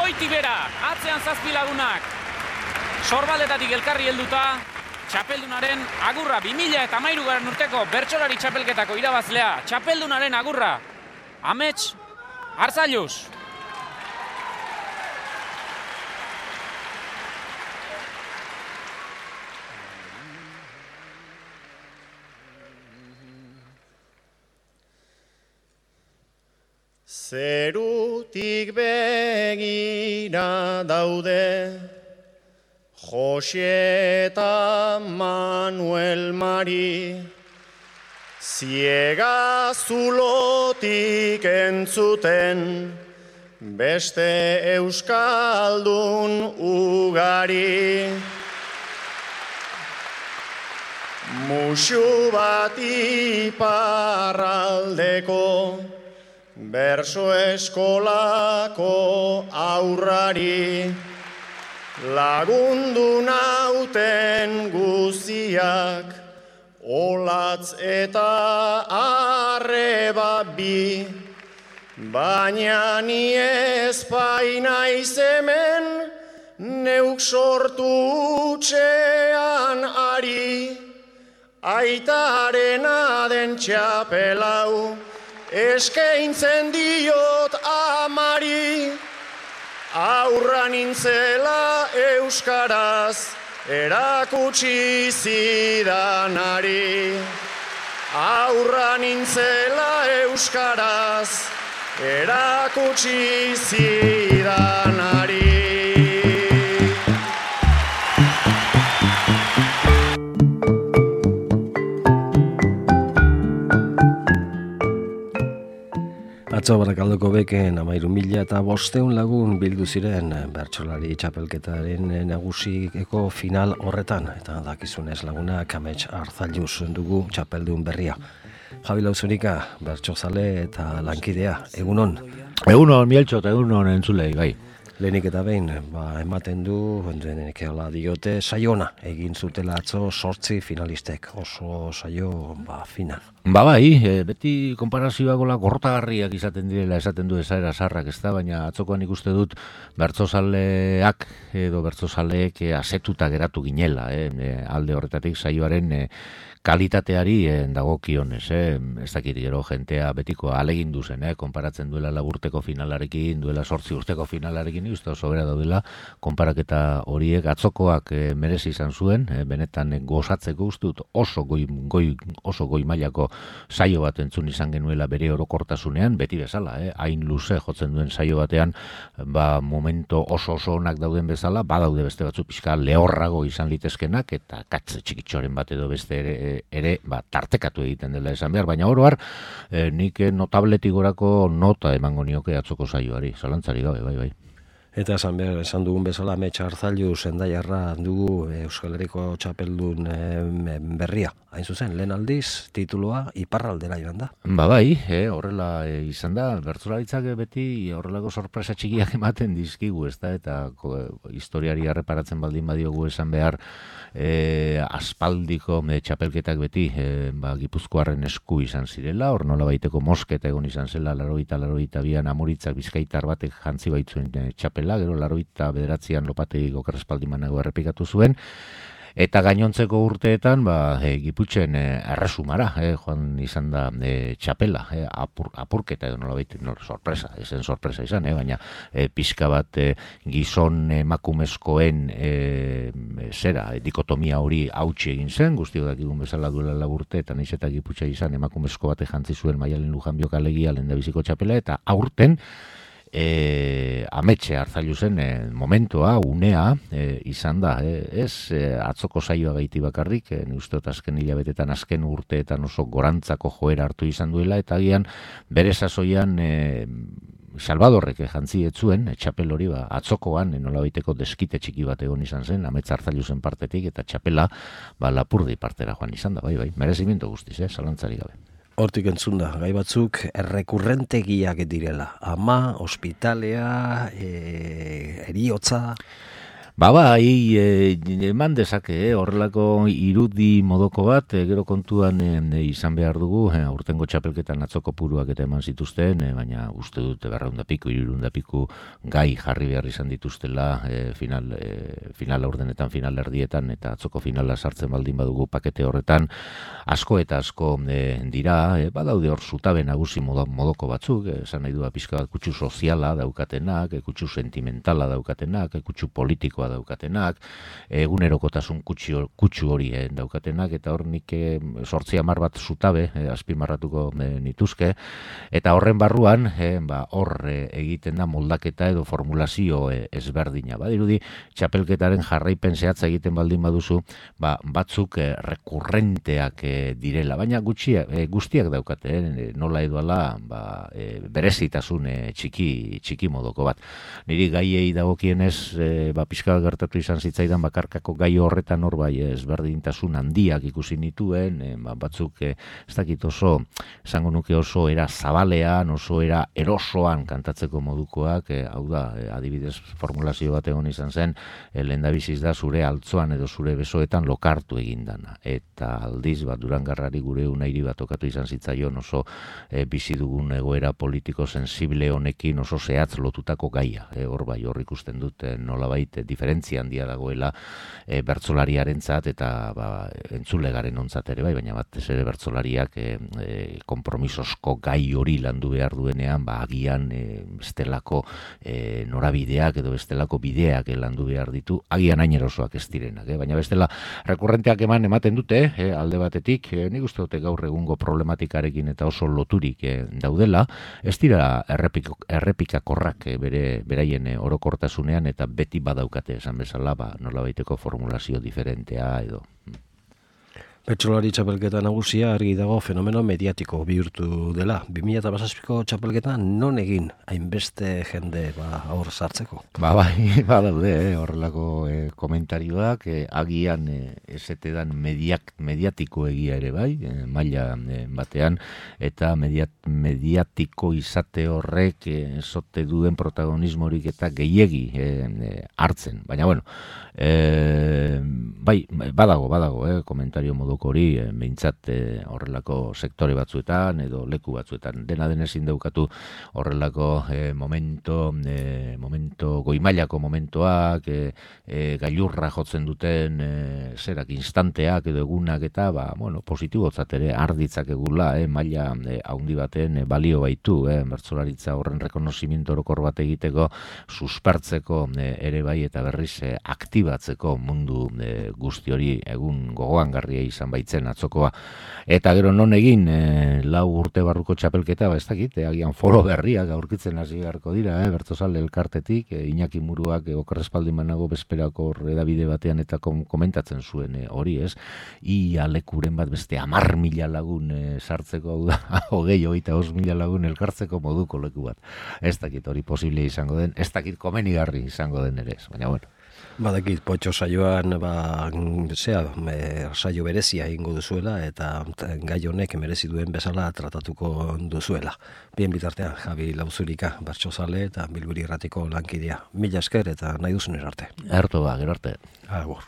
goiti bera, atzean 7 lagunak. Sorbaldetatik elkarri helduta, txapeldunaren agurra 2013 urteko bertsolari txapelketako irabazlea, txapeldunaren agurra, Amets Arzalluz. Zerutik begira daude Jose eta Manuel Mari, ziega zulotik entzuten beste euskaldun ugari. Musu bat iparraldeko berso eskolako aurrari, lagundu nauten guziak, olatz eta arreba bi, baina ni ez naiz hemen, neuk sortu utxean ari, aitarena den txapelau, eskaintzen diot amari, aurra nintzela euskaraz, erakutsi zidanari. Aurra nintzela euskaraz, erakutsi zidanari. Atzo Barakaldoko beken 13.500 lagun bildu ziren bertsolari txapelketaren nagusiko final horretan, eta dakizunez lagunak Amets Arzalluz dugu txapeldun berria. Javi Lauzunika, bertsozale eta lankidea, egunon? Egunon, Mieltxo, eta egunon entzulei, bai. Lehenik eta behin, ematen du, denekeola diote, saiona egin zutela atzo 8 finalistek, oso saio final. Bai, beti konparazioagola gorrotagarriak izaten direla, esaten du esaera sarrak, ez da, baina atzokoan ikuste dut bertsozaleak edo bertsozaleek asetuta geratu ginela, alde horretatik saioaren kalitateari dagokionez, ez dakit gero jentea betiko alegindu zen, konparatzen duela 4 urteko finalarekin, duela 8 urteko finalarekin, uste oso bera daudela, konparaketa horiek atzokoak merezi izan zuen, benetan gozatzeko uste dut oso goi mailako saio bat entzun izan genuela bere orokortasunean, beti bezala, hain luze jotzen duen saio batean, momento oso onak dauden bezala, badaude beste batzu pixka lehorrago izan litezkenak, eta katze txikitxoren bat edo beste ere tartekatu egiten dela esan behar, baina oro har, nik notabletik gorako nota emango nioke atzoko saioari, zalantzari gabe, bai. Eta esan dugun bezala Amets Arzalluz Hendaiarra dugu Euskal Herriko txapeldun berria. Hain zuzen, lehen aldiz, titulua iparraldera joan da. Bai, horrela izan da, bertsolaritzak beti horrelako sorpresa txikiak ematen dizkigu, ez da, eta historiari erreparatzen baldin badiogu esan behar, aspaldiko txapelketak beti Gipuzkoarren esku izan zirela, hor nola baiteko mosketa egon izan zela, 82an Amuritzak Bizkaitar batek jantzi baitzuen txapela, gero 89an Lopategik okerrespaldimanago errepikatu zuen, eta gainontzeko urteetan Giputxen erresumara joan izan da txapela, apurketa edo nola baita, sorpresa, ezen sorpresa izan, baina pixka bat gizon emakumezkoen dikotomia hori hautsi egin zen, guztio dakigun bezala duela 4 urte, eta naiz eta Giputxa izan emakumezko bate jantzi zuen Maialen Lujanbiok alegia lehendabiziko txapela, eta aurten Amets Arzallazuzen momentua, unea izan da, ez atzoko saioa gaiti bakarrik, usteot azken hilabetetan, azken urteetan oso gorantzako joera hartu izan duela, eta agian bere sasoian Salvadorrek jantzi etzuen, txapel hori atzokoan, nolabaiteko deskite txiki bat egon izan zen, Amets Arzallazuzen partetik, eta txapela Lapurdi partera joan izan da, bai, merezimiento guztiz, zalantzari gabe. Hortik entzun da, gai batzuk errekurrentegiak direla. Ama, ospitalea, eriotza... Eman dezake, horrelako irudi modoko bat, gero kontuan izan behar dugu, aurtengo txapelketan atzoko puruak eta eman zituzten, baina uste dut 200 piku, 300 piku gai jarri behar izan dituztela final aurdenetan, final erdietan, eta atzoko finala sartzen baldin badugu pakete horretan, asko eta asko dira, badaude hor zutabe nagusi modoko batzuk, esan nahi du pixka bat kutsu soziala daukatenak, kutsu sentimentala daukatenak, kutsu politikoa daukatenak, egunerokotasun kutsu hori daukatenak, eta hor nik 8-10 bat zutabe azpimarratuko nituzke, eta horren barruan hor egiten da moldaketa edo formulazio ezberdina. Badirudi txapelketaren jarraipen zehatza egiten baldin baduzu, batzuk rekurrenteak direla, baina guztiak daukate, nola edo ala berezitasun txiki modoko bat. Niri gaiei dagokienez pixka gertatu izan zitzaidan bakarkako gai horretan hor ezberdintasun handiak ikusi nituen, batzuk ez dakit oso, esango nuke oso era zabalean, oso era erosoan kantatzeko modukoak, hau da, adibidez formulazio bat egon izan zen, lehendabiziz da zure altzoan edo zure besoetan lokartu egindana, eta aldiz Durangarrari gure unairi bat okatu izan zitzaion oso bizi dugun egoera politiko sensible honekin oso zehatz lotutako gaia, hor hor ikusten dut nolabait diferentzia handia dagoela bertsolariarentzat eta entzulegaren ontzat ere baina batez ere bertsolariak konpromisozko gai hori landu behar duenean, agian bestelako norabideak edo bestelako bideak landu behar ditu, agian hain erosoak ez direnak, baina bestela rekurrenteak ematen dute, alde batetik, nik uste dute gaur egungo problematikarekin eta oso loturik daudela, ez dira errepikakorrak beraien orokortasunean eta beti badaukate esan bezala, nolabaiteko formulazio diferentea edo. Bertsolari txapelketa nagusia argi dago fenomeno mediatiko bihurtu dela. 2017ko txapelketan non egin hainbeste jende hor sartzeko? Badaude horrelako komentarioak, agian esetedan mediatiko egia ere bai, maila batean, eta mediatiko izate horrek esote duen protagonismorik eta gehiegi hartzen. Baina bueno, badago komentario modu hori, behintzat horrelako sektore batzuetan edo leku batzuetan. Dena den ezin daukatu horrelako momento goimailako momentoak, gailurra jotzen duten zerak instanteak edo egunak eta positibotzat ere arditzak egula, maila haundi baten balio baitu, bertsolaritza horren rekonozimiento orokor bat egiteko, suspertzeko ere bai eta berriz aktibatzeko mundu guzti hori egun gogoan garria izan baitzen atzokoa. Eta gero non egin 4 urte barruko txapelketa, ez dakit, agian foro berriak aurkitzen hasi beharko dira, bertsozale elkartetik, Iñaki Muruak okerrespaldin banago bezperako edabide batean eta komentatzen zuen hori, ez? Ia lekuren bat beste 10.000 lagun sartzeko, hau da, 25.000 lagun elkartzeko moduko leku bat. Ez dakit hori posible izango den, ez dakit komenigarri izango den ere, baina bueno. Badakit, potxo saioan saio berezia egingo duzuela eta gai honek merezi duen bezala tratatuko duzuela. Bien bitartean, Javi Lauzurika, bertsozale eta Bilburi Irratiko lankidea. Mila esker eta nahi duzun erarte. Gero arte. Agur.